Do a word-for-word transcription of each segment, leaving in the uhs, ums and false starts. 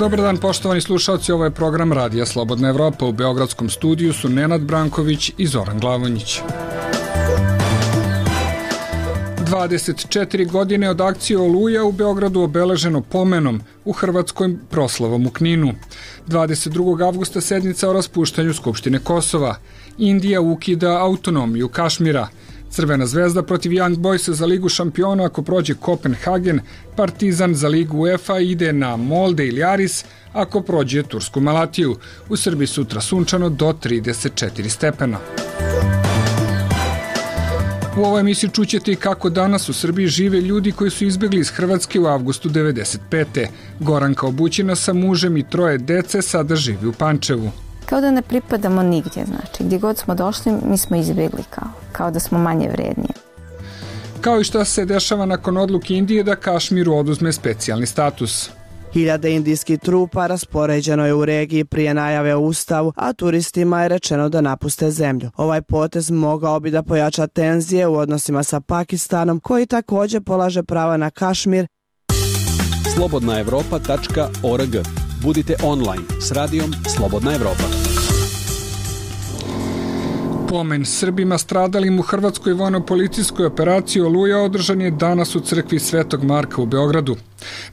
Dobar dan poštovani slušalci, ovo je program Radija Slobodna Evropa. U beogradskom studiju su Nenad Branković i Zoran Glavonjić. dvadeset četiri godine od akcije Oluja u Beogradu obeleženo pomenom, u Hrvatskoj proslavom u Kninu. dvadeset drugog avgusta sednica o raspuštanju Skupštine Kosova. Indija ukida autonomiju Kašmira. Crvena zvezda protiv Young Boysa za Ligu šampiona ako prođe Kopenhagen, Partizan za Ligu UEFA ide na Molde ili Aris ako prođe Tursku Malatiju. U Srbiji sutra sunčano do trideset četiri stepena. U ovoj emisiji čućete i kako danas u Srbiji žive ljudi koji su izbegli iz Hrvatske u avgustu devedeset pete. Goranka Obućina sa mužem i troje dece sada živi u Pančevu. Kao da ne pripadamo nigdje, znači gdje god smo došli mi smo izbjegli kao, kao da smo manje vrednije. Kao i šta se dešava nakon odluke Indije da Kašmiru oduzme specijalni status. Hiljade indijskih trupa raspoređeno je u regiji prije najave o ustavu, a turistima je rečeno da napuste zemlju. Ovaj potez mogao bi da pojača tenzije u odnosima sa Pakistanom, koji također polaže prava na Kašmir. slobodna evropa tačka org. Budite online s radijom Slobodna Evropa. Pomen Srbima stradalim u hrvatskoj vojno-policijskoj operaciji Oluja održan je danas u crkvi Svetog Marka u Beogradu.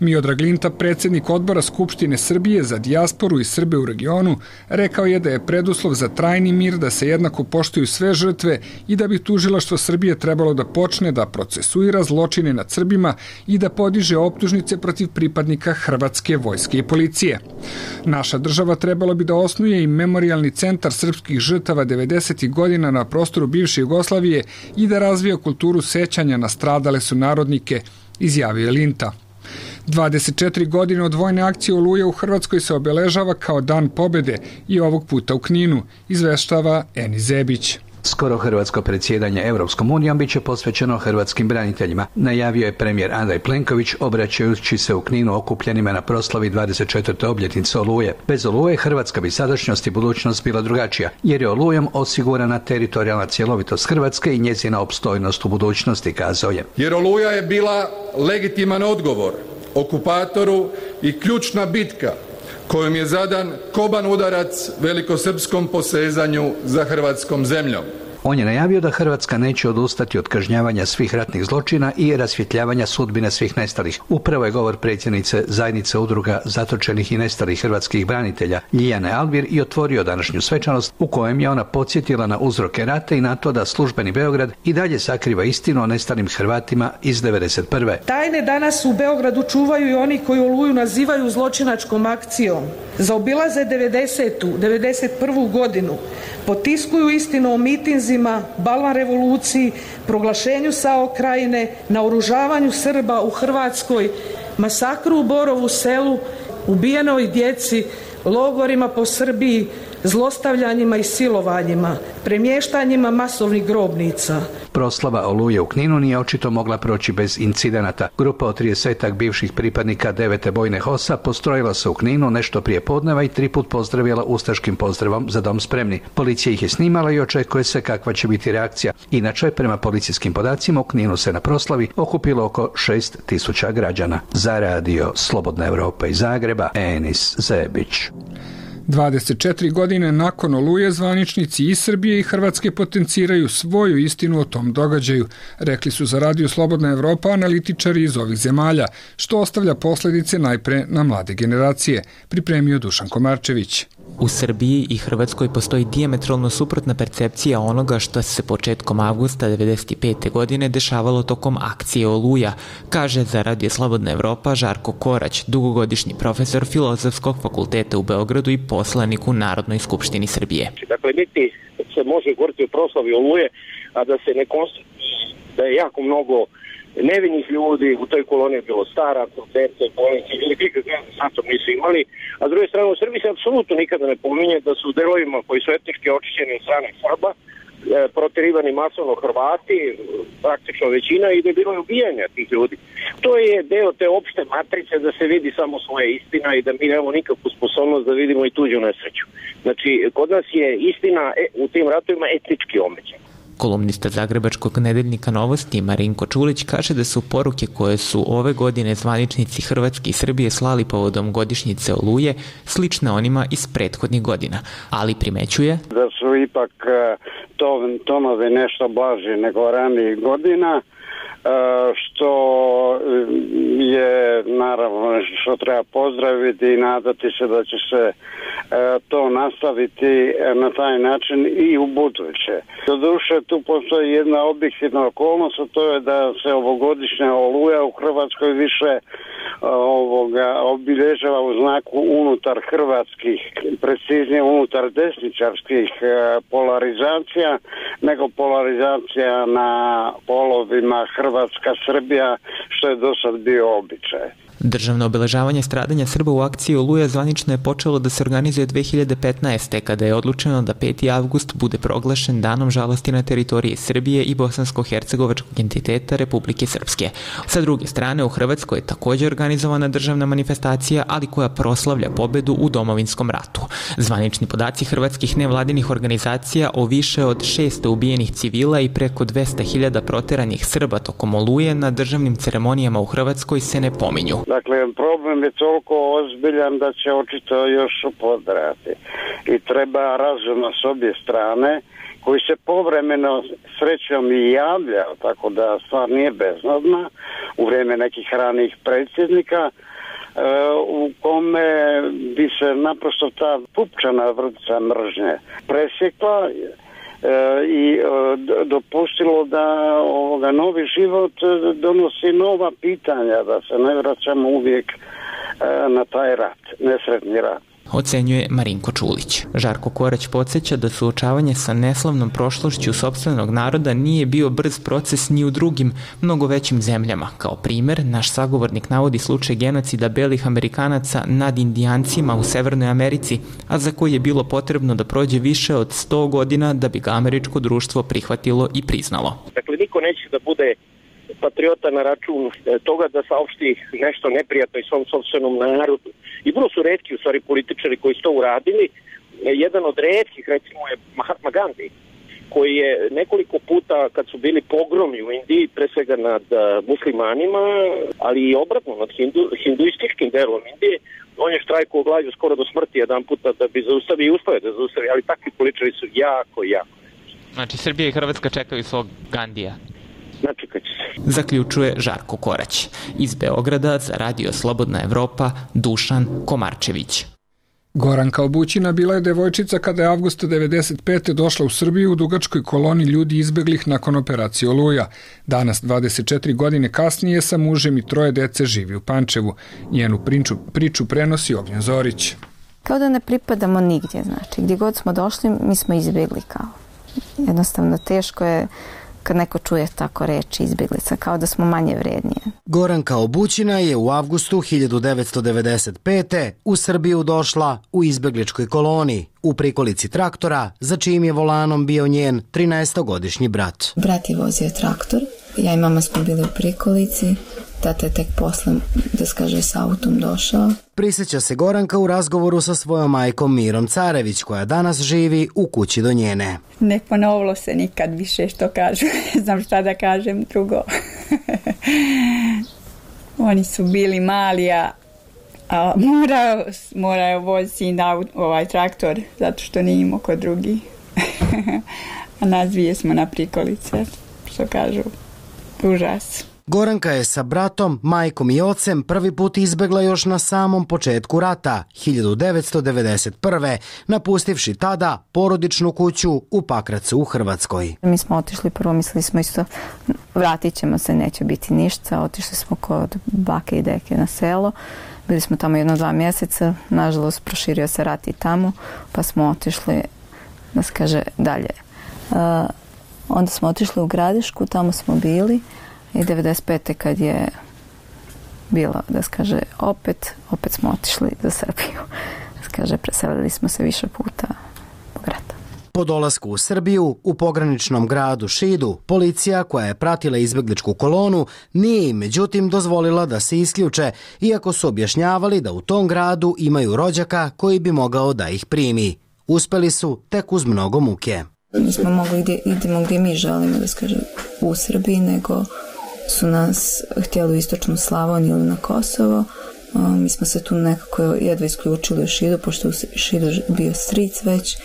Miodrag Linta, predsjednik odbora Skupštine Srbije za dijasporu i Srbe u regionu, rekao je da je preduslov za trajni mir da se jednako poštuju sve žrtve i da bi tužilaštvo Srbije trebalo da počne da procesuira zločine nad Srbima i da podiže optužnice protiv pripadnika Hrvatske vojske i policije. Naša država trebalo bi da osnuje i memorijalni centar srpskih žrtava devedesetih godina na prostoru bivše Jugoslavije i da razvija kulturu sećanja na stradale sunarodnike, izjavio je Linta. dvadeset četiri godine od vojne akcije Oluja u Hrvatskoj se obeležava kao dan pobjede i ovog puta u Kninu, izveštava Eni Zebić. Skoro hrvatsko predsjedanje Europskom unijom biće posvećeno hrvatskim braniteljima, najavio je premijer Andrej Plenković obraćajući se u Kninu okupljenima na proslavi dvadeset četvrte obljetnice Oluje. Bez Oluje Hrvatska bi sadašnjost i budućnost bila drugačija, jer je Olujom osigurana teritorijalna cjelovitost Hrvatske i njezina opstojnost u budućnosti, kazao je. Jer Oluja je bila legitiman odgovor okupatoru i ključna bitka kojom je zadan koban udarac velikosrpskom posezanju za hrvatskom zemljom. On je najavio da Hrvatska neće odustati od kažnjavanja svih ratnih zločina i rasvjetljavanja sudbine svih nestalih. Upravo je govor predsjednice zajednice udruga zatočenih i nestalih hrvatskih branitelja Ljiljane Alvir i otvorio današnju svečanost u kojem je ona podsjetila na uzroke rata i na to da službeni Beograd i dalje sakriva istinu o nestalim Hrvatima iz devedeset prve. Tajne danas u Beogradu čuvaju i oni koji Oluju nazivaju zločinačkom akcijom. Zaobilaze devedesetu, devedeset prvu godinu, potiskuju istinu o mitinzima, balvan revoluciji, proglašenju SAO Krajine, naoružavanju Srba u Hrvatskoj, masakru u Borovu Selu, ubijenoj djeci, logorima po Srbiji, zlostavljanjima i silovanjima, premještanjima masovnih grobnica. Proslava Oluje u Kninu nije očito mogla proći bez incidenata. Grupa od tridesetak bivših pripadnika devete bojne H O S-a postrojila se u Kninu nešto prije podneva i tri put pozdravila ustaškim pozdravom za dom spremni. Policija ih je snimala i očekuje se kakva će biti reakcija. Inače, prema policijskim podacima, u Kninu se na proslavi okupilo oko šest tisuća građana. Za radio Slobodna Evropa iz Zagreba, Enis Zebić. dvadeset četiri godine nakon Oluje zvaničnici i Srbije i Hrvatske potenciraju svoju istinu o tom događaju, rekli su za radio Slobodna Evropa analitičari iz ovih zemalja, što ostavlja posljedice najpre na mlade generacije, pripremio Dušan Komarčević. U Srbiji i Hrvatskoj postoji dijametralno suprotna percepcija onoga što se početkom avgusta devedeset pete godine dešavalo tokom akcije Oluja, kaže za radio Slobodna Evropa Žarko Korać, dugogodišnji profesor Filozofskog fakulteta u Beogradu i poslanik u Narodnoj skupštini Srbije. Dakle, niti se može govoriti o proslavi Oluje, a da se ne konstatuje da je jako mnogo nevinih ljudi, u toj koloni je bilo staraca, dece, bolnice, ili nikakve sa tom nisu imali, a s druge strane u Srbiji se apsolutno nikada ne pominje da su u delovima koji su etnički očišćeni od strane Srba, e, proterivani masovno Hrvati, praktično većina, i da je bilo ubijanja tih ljudi. To je deo te opšte matrice da se vidi samo svoja istina i da mi nemamo nikakvu sposobnost da vidimo i tuđu nesreću. Znači, kod nas je istina u tim ratovima etnički omeđena. Kolumnista zagrebačkog nedeljnika Novosti Marinko Čulić kaže da su poruke koje su ove godine zvaničnici Hrvatske i Srbije slali povodom godišnjice Oluje slične onima iz prethodnih godina, ali primećuje da su ipak tonovi nešto blaži nego ranijih godina, što je naravno nešto što treba pozdraviti i nadati se da će se to nastaviti na taj način i u buduće. Doduše, tu postoji jedna objektivna okolnost, a to je da se ovogodišnja Oluja u Hrvatskoj više ovoga obilježava u znaku unutar hrvatskih, preciznije unutar desničarskih polarizacija, nego polarizacija na polovima Hrvatska-Srbija, što je do sad bio običaj. Državno obeležavanje stradanja Srba u akciji Oluja zvanično je počelo da se organizuje dve hiljade petnaeste. kada je odlučeno da peti avgust bude proglašen danom žalosti na teritoriji Srbije i bosansko-hercegovačkog entiteta Republike Srpske. Sa druge strane, u Hrvatskoj je također organizovana državna manifestacija, ali koja proslavlja pobedu u Domovinskom ratu. Zvanični podaci hrvatskih nevladinih organizacija o više od šesto ubijenih civila i preko dvesta hiljada proteranih Srba tokom Oluje na državnim ceremonijama u Hrvatskoj se ne pominju. Dakle, problem je toliko ozbiljan da će očito još upodrati. I treba razumno s obje strane, koji se povremeno srećom i javlja, tako da stvar nije beznadna, u vrijeme nekih ranijih predsjednika, u kome bi se naprosto ta pupčana vrpca mržnje presjekla i dopustilo da ovoga novi život donosi nova pitanja, da se ne vraćamo uvijek na taj rat, nesretni rat. Ocenjuje Marinko Čulić. Žarko Korać podsjeća da suočavanje sa neslavnom prošlošću sopstvenog naroda nije bio brz proces ni u drugim, mnogo većim zemljama. Kao primer, naš sagovornik navodi slučaj genocida belih Amerikanaca nad Indijancima u Severnoj Americi, a za koji je bilo potrebno da prođe više od sto godina da bi ga američko društvo prihvatilo i priznalo. Dakle, niko neće da bude patriota na račun toga da saopšti nešto neprijatno i svom sopstvenom narodu. I vrlo su retki, u stvari, političari koji su to uradili. Jedan od retkih, recimo, je Mahatma Gandhi, koji je nekoliko puta, kad su bili pogromi u Indiji, pre svega nad muslimanima, ali i obratno nad hindu, hinduističkim delom Indije, on je štrajkuo glađu skoro do smrti jedan puta da bi zaustavio i uspio da zaustavi, ali takvi političari su jako, jako. Znači, Srbija i Hrvatska čekaju svog Gandija. Zaključuje Žarko Korać. Iz Beograda za Radio Slobodna Evropa, Dušan Komarčević. Goranka Obućina bila je devojčica kada je avgusta devedeset pete došla u Srbiju u dugačkoj koloni ljudi izbeglih nakon operacije Oluja. Danas, dvadeset četiri godine kasnije, sa mužem i troje dece živi u Pančevu. Njenu priču, priču prenosi Ognjen Zorić. Kao da ne pripadamo nigdje, znači gdje god smo došli mi smo izbjegli kao. Jednostavno teško je kad neko čuje tako reči izbjeglica, kao da smo manje vrednije. Goranka Obućina je u avgustu hiljadu devetsto devedeset pete. u Srbiju došla u izbjegličkoj koloni, u prikolici traktora, za čijim je volanom bio njen trinaestogodišnji brat. Brat je vozio traktor, ja i mama smo bili u prikolici, tata je tek posle, da skaže, s autom došao. Prisjeća se Goranka u razgovoru sa svojom majkom Mirom Carević, koja danas živi u kući do njene. Ne ponovilo se nikad više, što kažu. Ne znam šta da kažem drugo. Oni su bili mali, a, a morao, morao voziti na ovaj traktor, zato što nije imao kod drugi. A nas dvije smo na prikolice, što kažu, užas. Goranka je sa bratom, majkom i ocem prvi put izbegla još na samom početku rata, hiljadu devetsto devedeset prve. napustivši tada porodičnu kuću u Pakracu u Hrvatskoj. Mi smo otišli, prvo mislili smo isto vratit ćemo se, neće biti ništa. Otišli smo kod bake i deke na selo. Bili smo tamo jedno dva mjeseca. Nažalost, proširio se rat i tamo, pa smo otišli, da se kaže, dalje. Uh, onda smo otišli u Gradišku, tamo smo bili. I devedeset pete kad je bilo, da se kaže, opet, opet smo otišli za Srbiju. Da se kaže, preselili smo se više puta po grada. Po dolasku u Srbiju, u pograničnom gradu Šidu, policija koja je pratila izbjegličku kolonu nije im međutim dozvolila da se isključe, iako su objašnjavali da u tom gradu imaju rođaka koji bi mogao da ih primi. Uspeli su tek uz mnogo muke. Nismo mogli gdje idemo gdje mi želimo, da skažem, u Srbiji, nego su nas htjeli u istočnu Slavoniju ili na Kosovo. Mi smo se tu nekako jedva isključili u Šidu, pošto u Šidu bio stric već,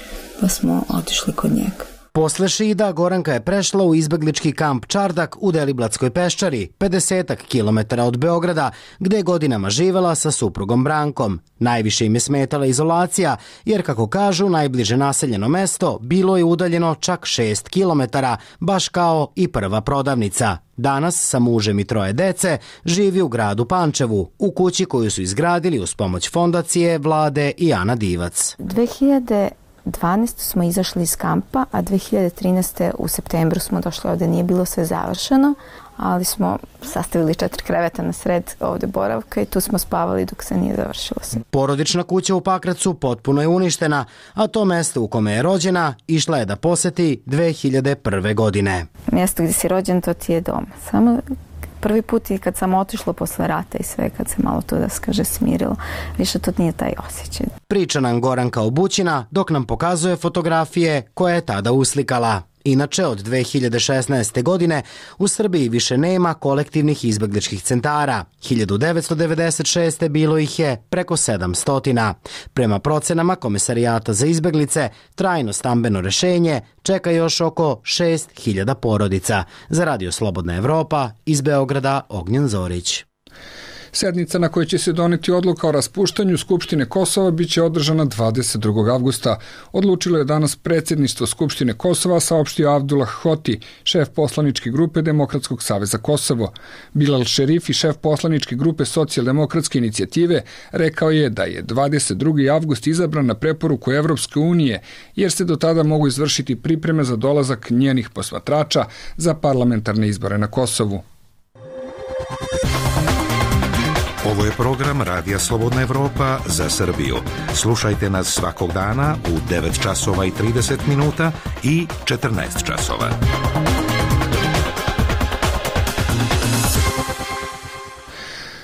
pa smo otišli kod njega. Posle Šida Goranka je prešla u izbeglički kamp Čardak u Deliblatskoj peščari, pedesetak kilometara od Beograda, gde je godinama živela sa suprugom Brankom. Najviše im je smetala izolacija, jer kako kažu, najbliže naseljeno mesto bilo je udaljeno čak šest kilometara, baš kao i prva prodavnica. Danas sa mužem i troje dece živi u gradu Pančevu, u kući koju su izgradili uz pomoć fondacije, vlade i Ana Divac. dve hiljade dvanaeste. smo izašli iz kampa, a dve hiljade trinaeste. u septembru smo došli ovde, nije bilo sve završeno, ali smo sastavili četiri kreveta na sred ovde boravka i tu smo spavali dok se nije završilo sve. Porodična kuća u Pakracu potpuno je uništena, a to mesto u kome je rođena išla je da poseti dve hiljade prve. godine. Mjesto gdje si rođen, to ti je dom. Samo prvi put i kad sam otišla posle rata i sve, kad se malo to, da skaže, smirilo, više to nije taj osjećaj. Priča nam Goranka Obućina dok nam pokazuje fotografije koje je tada uslikala. Inače, od dve hiljade šesnaeste. godine u Srbiji više nema kolektivnih izbegličkih centara. hiljadu devetsto devedeset šeste. bilo ih je preko sedamsto. Prema procenama Komesarijata za izbeglice, trajno stambeno rešenje čeka još oko šest hiljada porodica. Za Radio Slobodna Evropa, iz Beograda, Ognjen Zorić. Sednica na kojoj će se doneti odluka o raspuštanju Skupštine Kosova biće održana dvadeset drugog avgusta. Odlučilo je danas predsjedništvo Skupštine Kosova, saopštio Abdullah Hoti, šef poslaničke grupe Demokratskog saveza Kosovo. Bilal Šerifi, šef poslaničke grupe Socijaldemokratske inicijative, rekao je da je dvadeset drugi avgust izabran na preporuku Evropske unije, jer se do tada mogu izvršiti pripreme za dolazak njenih posmatrača za parlamentarne izbore na Kosovu. Ovo je program Radija Slobodna Evropa za Srbiju. Slušajte nas svakog dana u devet časova i trideset minuta i četrnaest časova.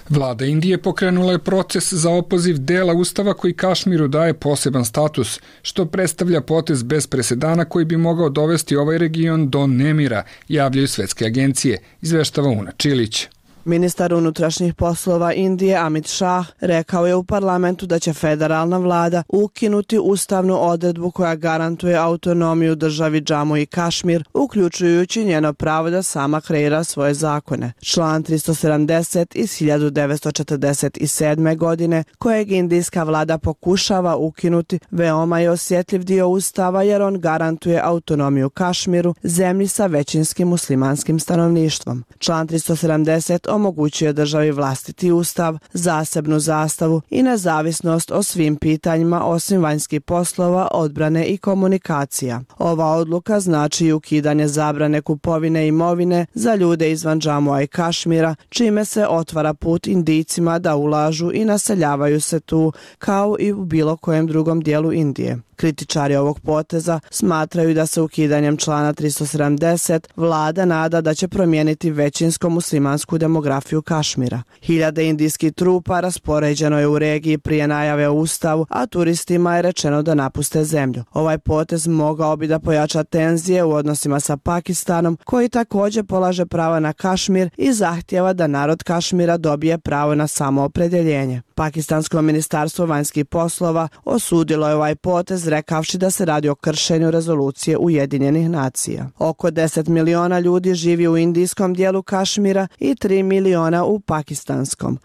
Vlada Indije pokrenula je proces za opoziv dela ustava koji Kašmiru daje poseban status, što predstavlja potez bez presedana koji bi mogao dovesti ovaj region do nemira, javljaju svetske agencije, izveštava Una Čilić. Ministar unutrašnjih poslova Indije Amit Shah rekao je u parlamentu da će federalna vlada ukinuti ustavnu odredbu koja garantuje autonomiju državi Džamu i Kašmir, uključujući njeno pravo da sama kreira svoje zakone. Član tristo sedamdeset iz hiljadu devetsto četrdeset sedme. godine, kojeg indijska vlada pokušava ukinuti, veoma je osjetljiv dio ustava jer on garantuje autonomiju Kašmiru, zemlji sa većinskim muslimanskim stanovništvom. Član tristo sedamdeset omogućuje državi vlastiti ustav, zasebnu zastavu i nezavisnost o svim pitanjima osim vanjskih poslova, odbrane i komunikacija. Ova odluka znači i ukidanje zabrane kupovine imovine za ljude izvan Džamua i Kašmira, čime se otvara put Indijcima da ulažu i naseljavaju se tu, kao i u bilo kojem drugom dijelu Indije. Kritičari ovog poteza smatraju da se ukidanjem člana tristo sedamdeset vlada nada da će promijeniti većinsko muslimansku demografiju Kašmira. Hiljade indijskih trupa raspoređeno je u regiji prije najave o ustavu, a turistima je rečeno da napuste zemlju. Ovaj potez mogao bi da pojača tenzije u odnosima sa Pakistanom, koji također polaže prava na Kašmir i zahtjeva da narod Kašmira dobije pravo na samoopredjeljenje. Pakistansko ministarstvo vanjskih poslova osudilo je ovaj potez rekavši da se radi o kršenju rezolucije Ujedinjenih nacija. Oko deset miliona ljudi živi u indijskom dijelu Kašmira i tri miliona u pakistanskom.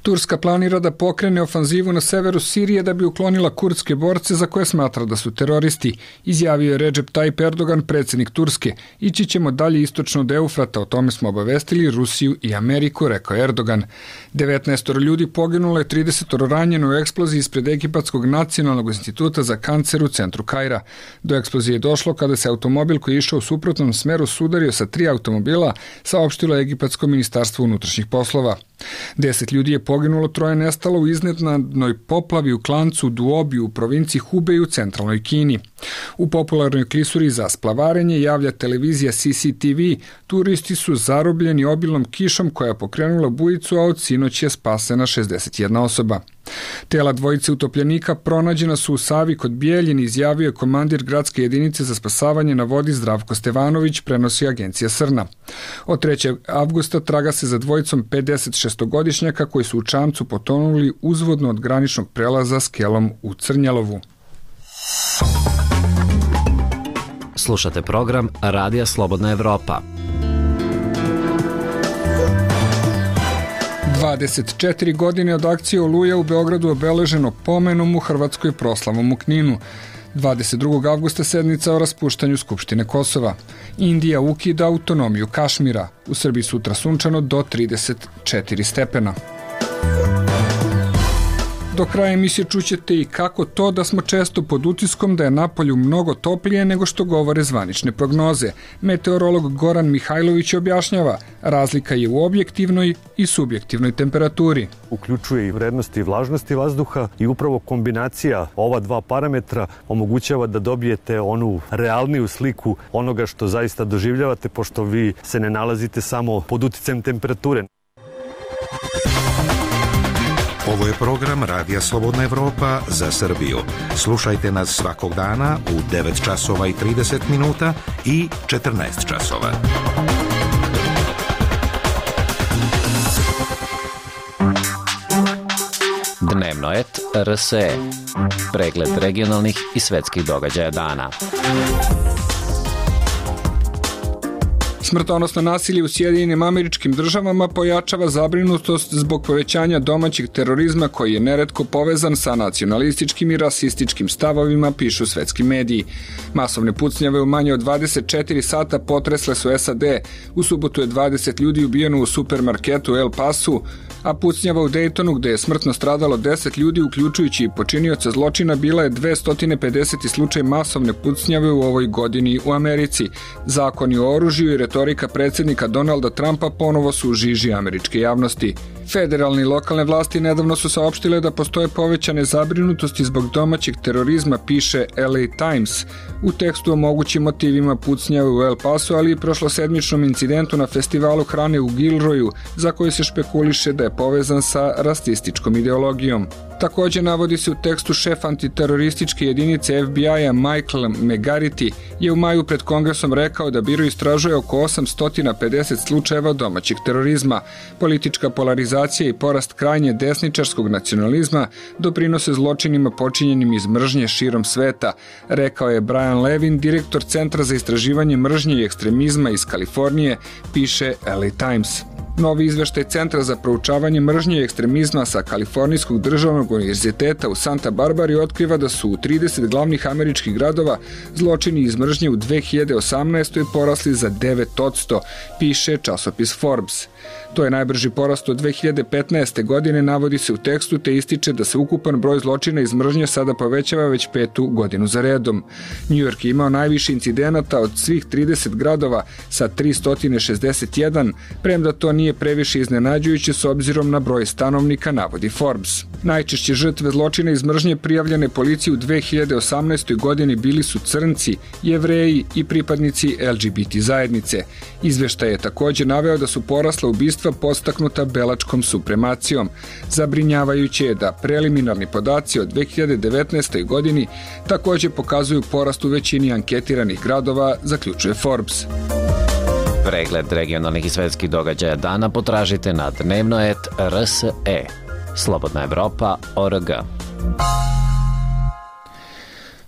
Turska planira da pokrene ofanzivu na severu Sirije da bi uklonila kurdske borce za koje smatra da su teroristi, izjavio je Recep Tayyip Erdogan, predsjednik Turske. Ići ćemo dalje istočno od Eufrata, o tome smo obavestili Rusiju i Ameriku, rekao Erdogan. devetnaest ljudi poginulo je, trideset ranjeno u eksploziji ispred Egipatskog nacionalnog instituta za kancer u centru Kaira. Do eksplozije je došlo kada se automobil koji je išao u suprotnom smeru sudario sa tri automobila, saopštilo Egipatsko ministarstvo unutrašnjih poslova. Deset ljudi je poginulo, troje nestalo u iznenadnoj poplavi u klancu Duobi u provinciji Hubei u centralnoj Kini. U popularnoj klisuri za splavarenje javlja televizija C C T V, turisti su zarobljeni obilnom kišom koja je pokrenula bujicu, a od sinoć je spasena šezdeset jedna osoba. Tela dvojice utopljenika pronađena su u Savi kod Bijeljine, izjavio je komandir gradske jedinice za spasavanje na vodi Zdravko Stevanović, prenosi agencija Srna. Od trećeg avgusta traga se za dvojicom pedesetšestogodišnjaka koji su u čamcu potonuli uzvodno od graničnog prelaza Skelom u Crnjalovu. Slušate program Radija Slobodna Evropa. dvadeset četiri godine od akcije Oluja u Beogradu obeleženo pomenom u Hrvatskoj, proslavom u Kninu. dvadeset drugog avgusta sednica o raspuštanju Skupštine Kosova. Indija ukida autonomiju Kašmira. U Srbiji sutra sunčano do trideset četiri stepena. Do kraja emisije čućete i kako to da smo često pod utiskom da je napolju mnogo toplije nego što govore zvanične prognoze. Meteorolog Goran Mihajlović objašnjava, razlika je u objektivnoj i subjektivnoj temperaturi. Uključuje i vrednosti i vlažnosti vazduha i upravo kombinacija ova dva parametra omogućava da dobijete onu realniju sliku onoga što zaista doživljavate, pošto vi se ne nalazite samo pod uticajem temperature. Ovo je program Radija Slobodna Evropa za Srbiju. Slušajte nas svakog dana u devet časova i trideset minuta i četrnaest časova. Dnevno et R S E. Pregled regionalnih i svetskih događaja dana. Smrtonosno nasilje u Sjedinjenim Američkim Državama pojačava zabrinutost zbog povećanja domaćeg terorizma koji je neretko povezan sa nacionalističkim i rasističkim stavovima, pišu svetski mediji. Masovne pucnjave u manje od dvadeset četiri sata potresle su S A D. U subotu je dvadeset ljudi ubijeno u supermarketu u El Pasu, a pucnjava u Daytonu, gde je smrtno stradalo deset ljudi, uključujući i počinioca zločina, bila je dvesta pedeset slučaj masovne pucnjave u ovoj godini u Americi. Zakoni o oružju i retorika predsjednika Donalda Trumpa ponovo su u žiži američke javnosti. Federalne i lokalne vlasti nedavno su saopštile da postoje povećane zabrinutosti zbog domaćeg terorizma, piše L A Times. U tekstu o mogućim motivima pucnjave u El Pasu, ali i prošlosedmičnom incidentu na festivalu hrane u Gilroyu, za koji se špekuliše da je povezan sa rasističkom ideologijom. Također navodi se u tekstu šef antiterorističke jedinice F B I-a Michael McGarity je u maju pred Kongresom rekao da biro istražuje oko osamsto pedeset slučajeva domaćeg terorizma. Politička polarizacija i porast krajnje desničarskog nacionalizma doprinose zločinima počinjenim iz mržnje širom sveta, rekao je Brian Levin, direktor Centra za istraživanje mržnje i ekstremizma iz Kalifornije, piše L A Times. Novi izveštaj Centra za proučavanje mržnje i ekstremizma sa Kalifornijskog državnog univerziteta u Santa Barbari otkriva da su u trideset glavnih američkih gradova zločini iz mržnje u dve hiljade osamnaestoj porasli za devet posto, piše časopis Forbes. To je najbrži porast od dve hiljade petnaeste. godine, navodi se u tekstu, te ističe da se ukupan broj zločina iz mržnje sada povećava već petu godinu za redom. New York je imao najviše incidenata od svih trideset gradova sa tristo šezdeset jedan, premda to nije previše iznenađujuće s obzirom na broj stanovnika, navodi Forbes. Najčešće žrtve zločina iz mržnje prijavljene policiji u dve hiljade osamnaestoj. godini bili su crnci, Jevreji i pripadnici L G B T zajednice. Izveštaj je također naveo da su porasla ubistva podstaknuta belačkom supremacijom. Zabrinjavajuće je da preliminarni podaci od dve hiljade devetnaestoj. godini također pokazuju porast u većini anketiranih gradova, zaključuje Forbes. Pregled regionalnih i svetskih događaja dana potražite na dnevno et R S E. Slobodna Evropa, O R G.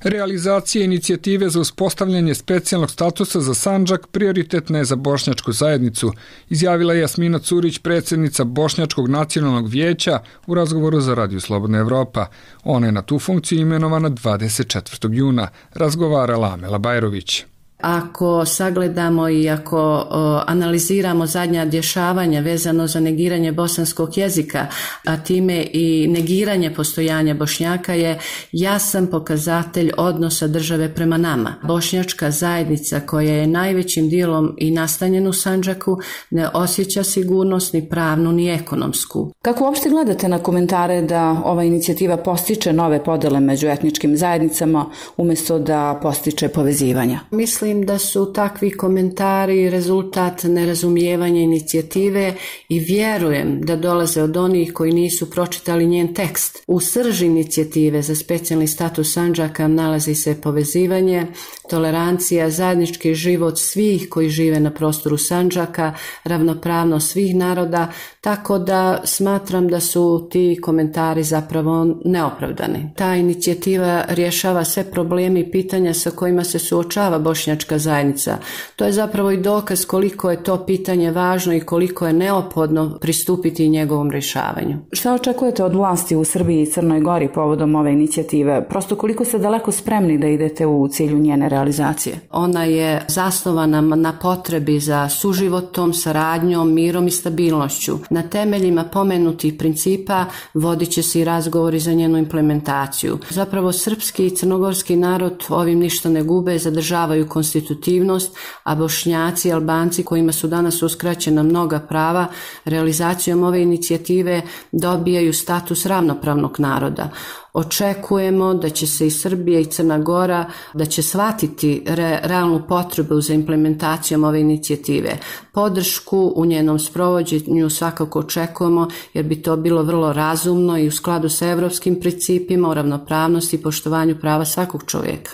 Realizacija inicijative za uspostavljanje specijalnog statusa za Sandžak prioritetna je za bošnjačku zajednicu, izjavila je Jasmina Curić, predsjednica Bošnjačkog nacionalnog vijeća, u razgovoru za Radio Slobodna Evropa. Ona je na tu funkciju imenovana dvadeset četvrtog juna, razgovarala Amela Bajrović. Ako sagledamo i ako o, analiziramo zadnja dešavanja vezano za negiranje bosanskog jezika, a time i negiranje postojanja Bošnjaka je jasan pokazatelj odnosa države prema nama. Bošnjačka zajednica koja je najvećim dijelom i nastanjena u Sandžaku ne osjeća sigurnost ni pravnu ni ekonomsku. Kako uopšte gledate na komentare da ova inicijativa postiče nove podele među etničkim zajednicama umjesto da postiče povezivanja? Mislim da su takvi komentari rezultat nerazumijevanja inicijative i vjerujem da dolaze od onih koji nisu pročitali njen tekst. U srži inicijative za specijalni status Sandžaka nalazi se povezivanje, tolerancija, zajednički život svih koji žive na prostoru Sandžaka, ravnopravnost svih naroda, tako da smatram da su ti komentari zapravo neopravdani. Ta inicijativa rješava sve probleme i pitanja sa kojima se suočava bošnjačka zajednica. To je zapravo i dokaz koliko je to pitanje važno i koliko je neophodno pristupiti njegovom rješavanju. Šta očekujete od vlasti u Srbiji i Crnoj Gori povodom ove inicijative? Prosto koliko ste daleko spremni da idete u cilju njene realizacije? Ona je zasnovana na potrebi za suživotom, saradnjom, mirom i stabilnošću. Na temeljima pomenutih principa vodit će se i razgovori za njenu implementaciju. Zapravo srpski i crnogorski narod ovim ništa ne gube, zadržavaju konstitutivnost, a Bošnjaci i Albanci kojima su danas uskraćena mnoga prava, realizacijom ove inicijative dobijaju status ravnopravnog naroda. Očekujemo da će se i Srbija i Crna Gora, da će shvatiti re, realnu potrebu za implementacijom ove inicijative. Podršku u njenom sprovođenju svakako očekujemo jer bi to bilo vrlo razumno i u skladu sa evropskim principima o ravnopravnosti i poštovanju prava svakog čovjeka.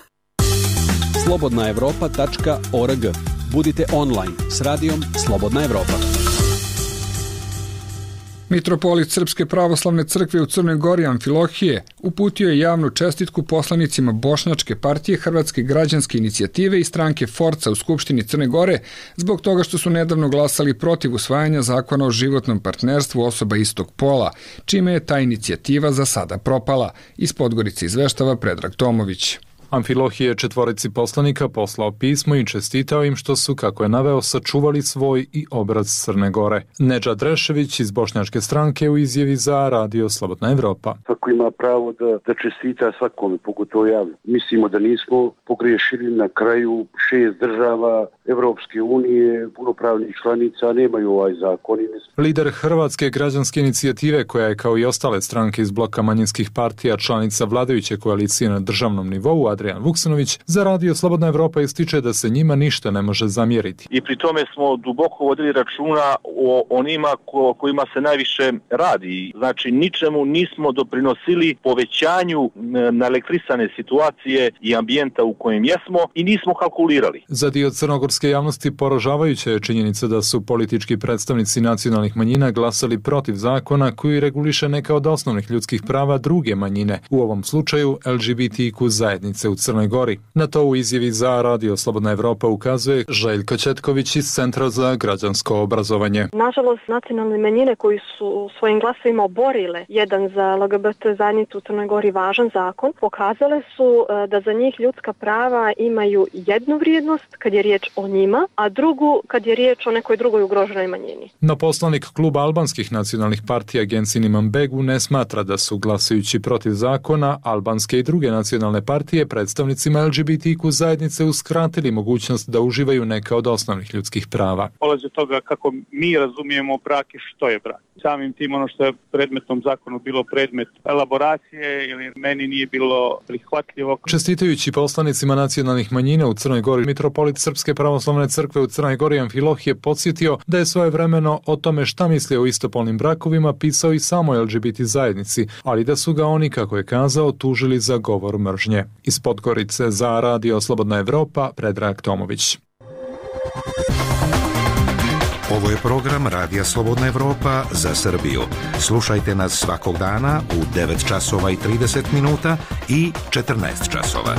slobodna evropa tačka org. Budite online s radijom Slobodna Evropa. Mitropolit Srpske pravoslavne crkve u Crnoj Gori Amfilohije uputio je javnu čestitku poslanicima Bošnjačke partije, Hrvatske građanske inicijative i stranke Forca u Skupštini Crne Gore zbog toga što su nedavno glasali protiv usvajanja zakona o životnom partnerstvu osoba istog pola, čime je ta inicijativa za sada propala. Iz Podgorice izveštava Predrag Tomović. Amfilohije četvorici poslanika poslao pismo i čestitao im što su, kako je naveo, sačuvali svoj i obraz Crne Gore. Nedžad Rešević iz Bošnjačke stranke u izjavi za Radio Slobodna Evropa. Svako ima pravo da, da čestita svakome, pogotovo javno. Mislimo da nismo pogriješili, na kraju šest država Evropske unije, punopravnih članica, nemaju ovaj zakon. Lider Hrvatske građanske inicijative, koja je kao i ostale stranke iz bloka manjinskih partija članica vladajuće koalicije na državnom nivou, Adrian Vuksanović, za Radio Slobodna Evropa ističe da se njima ništa ne može zamjeriti. I pri tome smo duboko vodili računa o onima ko, kojima se najviše radi. Znači, ničemu nismo doprinosili povećanju naelektrisane situacije i ambijenta u kojem jesmo i nismo kalkulirali. Za dio crnogorske javnosti poražavajuća je činjenica da su politički predstavnici nacionalnih manjina glasali protiv zakona koji reguliše neka od osnovnih ljudskih prava druge manjine, u ovom slučaju L G B T Q zajednice u Crnoj Gori. Na to u izjavi za Radio Slobodna Evropa ukazuje Željko Četković iz Centra za građansko obrazovanje. Nažalost, nacionalne manjine koji su svojim glasovima oborile jedan za L G B T zajednicu u Crnoj Gori važan zakon, pokazale su da za njih ljudska prava imaju jednu vrijednost kad je riječ o njima, a drugu kad je riječ o nekoj drugoj ugroženoj manjini. No poslanik kluba albanskih nacionalnih partija Gensin Imambegu ne smatra da su glasajući protiv zakona albanske i druge nacionalne partije predstavnicima L G B T Q zajednice uskratili mogućnost da uživaju neka od osnovnih ljudskih prava. Polazi od toga kako mi razumijemo brak i što je brak. Samim tim ono što je predmetnom zakonu bilo predmet elaboracije ili meni nije bilo prihvatljivo. Čestitajući poslanicima nacionalnih manjina u Crnoj Gori, mitropolit Srpske pravoslavne crkve u Crnoj Gori Amfilohije podsjetio da je svojevremeno o tome šta misli o istopolnim brakovima pisao i samo L G B T zajednici, ali da su ga oni, kako je kazao, tužili za govor mržnje. Iz Podgorice za Radio Slobodna Evropa, Predrag Tomović. Ovo je program Radija Slobodna Evropa za Srbiju. Slušajte nas svakog dana u devet časova i trideset minuta i četrnaest časova.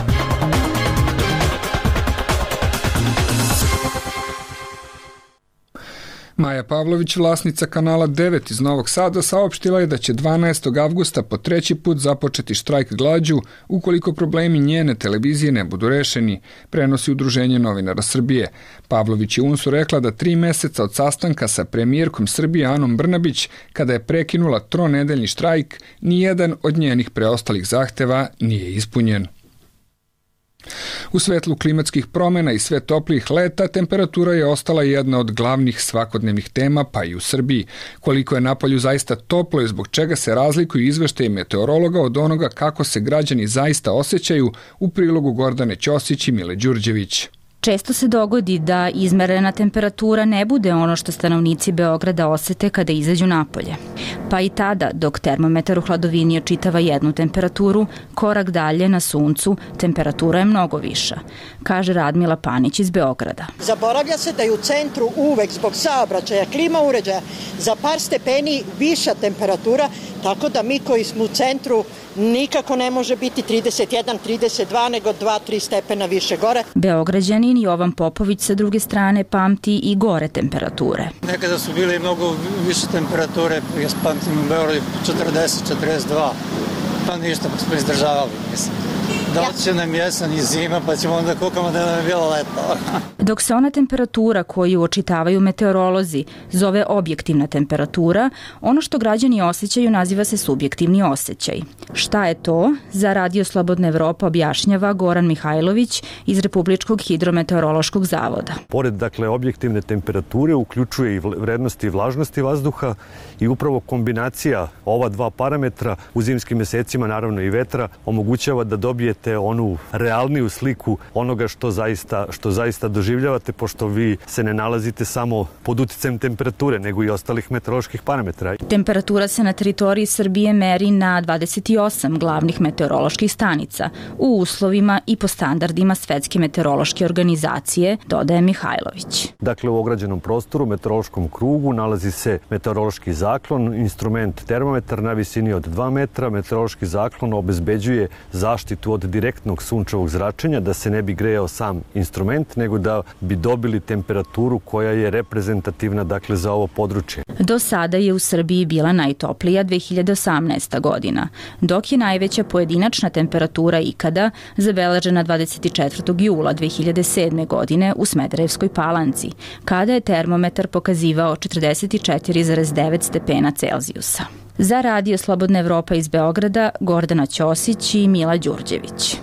Maja Pavlović, vlasnica kanala devet iz Novog Sada, saopštila je da će dvanaestog avgusta po treći put započeti štrajk glađu ukoliko problemi njene televizije ne budu rešeni, prenosi Udruženje novinara Srbije. Pavlović je UNS-u rekla da tri meseca od sastanka sa premijerkom Srbije Anom Brnabić, kada je prekinula tronedeljni štrajk, nijedan od njenih preostalih zahteva nije ispunjen. U svetlu klimatskih promjena i sve toplijih leta, temperatura je ostala jedna od glavnih svakodnevnih tema, pa i u Srbiji. Koliko je napolju zaista toplo i zbog čega se razlikuju izveštaji meteorologa od onoga kako se građani zaista osjećaju, u prilogu Gordane Ćosić i Mile Đurđević. Često se dogodi da izmerena temperatura ne bude ono što stanovnici Beograda osete kada izađu napolje. Pa i tada, dok termometar u hladovini očitava jednu temperaturu, korak dalje na suncu temperatura je mnogo viša, kaže Radmila Panić iz Beograda. Zaboravlja se da je u centru uvek zbog saobraćaja, klima uređaja za par stepeni viša temperatura, tako da mi koji smo u centru nikako ne može biti trideset jedan trideset dva nego dva tri stepena više gore. Beograđanin Jovan Popović sa druge strane pamti i gore temperature. Nekada su bile mnogo više temperature, ja pamtim u Beogradu četrdeset četrdeset dva, pa ništa, pa smo izdržavali, mislim. Doće nam jesen i zima, pa ćemo onda kukamo da nam je bilo leto. Dok se ona temperatura koju očitavaju meteorolozi zove objektivna temperatura, ono što građani osjećaju naziva se subjektivni osjećaj. Šta je to? Za Radio Slobodna Evropa objašnjava Goran Mihajlović iz Republičkog hidrometeorološkog zavoda. Pored, dakle, objektivne temperature uključuje i vrednosti vlažnosti vazduha i upravo kombinacija ova dva parametra u zimskim mesecima, naravno i vetra, omogućava da dobijete onu realniju sliku onoga što zaista, što zaista doživljavate, pošto vi se ne nalazite samo pod uticajem temperature, nego i ostalih meteoroloških parametra. Temperatura se na teritoriji Srbije meri na dvadeset osam glavnih meteoroloških stanica u uslovima i po standardima Svetske meteorološke organizacije, dodaje Mihajlović. Dakle, u ograđenom prostoru, meteorološkom krugu, nalazi se meteorološki zaklon, instrument termometar na visini od dva metra. Meteorološki zaklon obezbeđuje zaštitu od direktnog sunčevog zračenja, da se ne bi grejao sam instrument, nego da bi dobili temperaturu koja je reprezentativna, dakle, za ovo područje. Do sada je u Srbiji bila najtoplija dve hiljade osamnaesta godina, dok je najveća pojedinačna temperatura ikada zabeležena dvadeset četvrtog jula dve hiljade sedme. godine u Smederevskoj Palanci, kada je termometar pokazivao četrdeset četiri zarez devet stepena Celzijusa. Za Radio Slobodna Evropa iz Beograda, Gordana Ćosić i Mila Đurđević.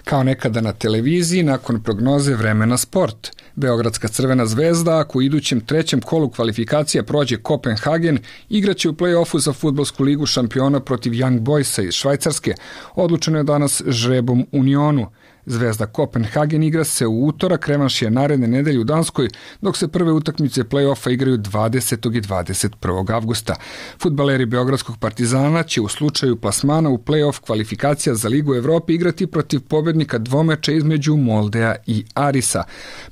Kao nekada na televiziji, nakon prognoze vremena sport. Beogradska Crvena zvezda, ako u idućem trećem kolu kvalifikacija prođe Kopenhagen, igraće u play-offu za fudbalsku ligu šampiona protiv Young Boysa iz Švajcarske. Odlučeno je danas žrebom Unionu. Zvezda Kopenhagen igra se u utorak, revanš je naredne nedelje u Danskoj, dok se prve utakmice play-offa igraju dvadesetog i dvadeset prvog avgusta. Fudbaleri Beogradskog Partizana će u slučaju plasmana u play-off kvalifikacija za Ligu Evrope igrati protiv pobednika dvomeča između Moldea i Arisa.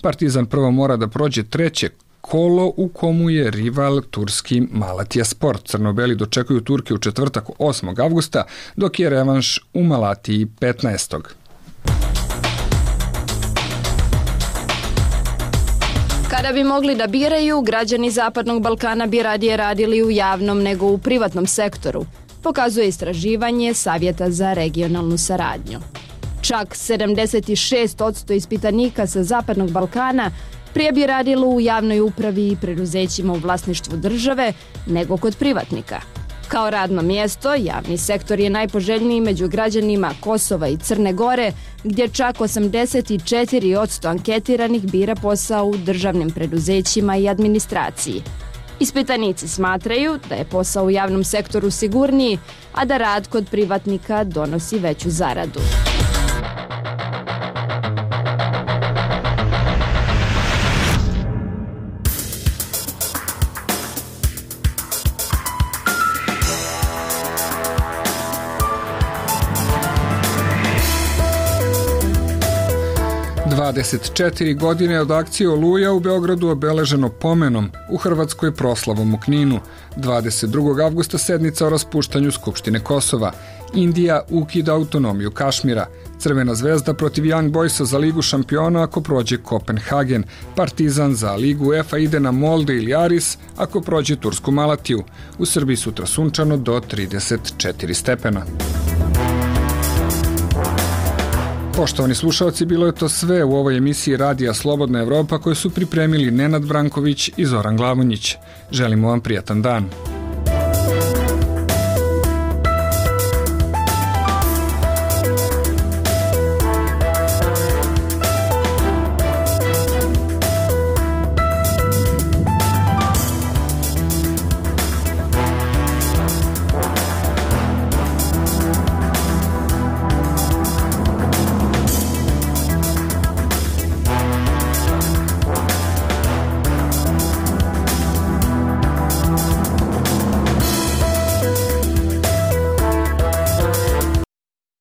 Partizan prvo mora da prođe treće kolo u komu je rival turski Malatija Sport. Crnobeli dočekuju Turke u četvrtak osmog avgusta, dok je revanš u Malatiji petnaestog Kada bi mogli da biraju, građani Zapadnog Balkana bi radije radili u javnom nego u privatnom sektoru, pokazuje istraživanje Savjeta za regionalnu saradnju. Čak sedamdeset šest posto ispitanika sa Zapadnog Balkana prije bi radilo u javnoj upravi i preduzećima u vlasništvu države nego kod privatnika. Kao radno mjesto, javni sektor je najpoželjniji među građanima Kosova i Crne Gore, gdje čak osamdeset četiri posto anketiranih bira posao u državnim preduzećima i administraciji. Ispitanici smatraju da je posao u javnom sektoru sigurniji, a da rad kod privatnika donosi veću zaradu. dvadeset četiri godine od akcije Oluja u Beogradu obeleženo pomenom, u Hrvatskoj proslavom u Kninu. dvadeset drugog avgusta sednica o raspuštanju Skupštine Kosova. Indija ukida autonomiju Kašmira. Crvena zvezda protiv Young Boysa za Ligu šampiona ako prođe Kopenhagen. Partizan za Ligu UEFA ide na Molde ili Aris ako prođe tursku Malatiju. U Srbiji sutra sunčano do trideset četiri stepena. Poštovani slušalci, bilo je to sve u ovoj emisiji Radija Slobodna Evropa koju su pripremili Nenad Branković i Zoran Glavonjić. Želimo vam prijatan dan.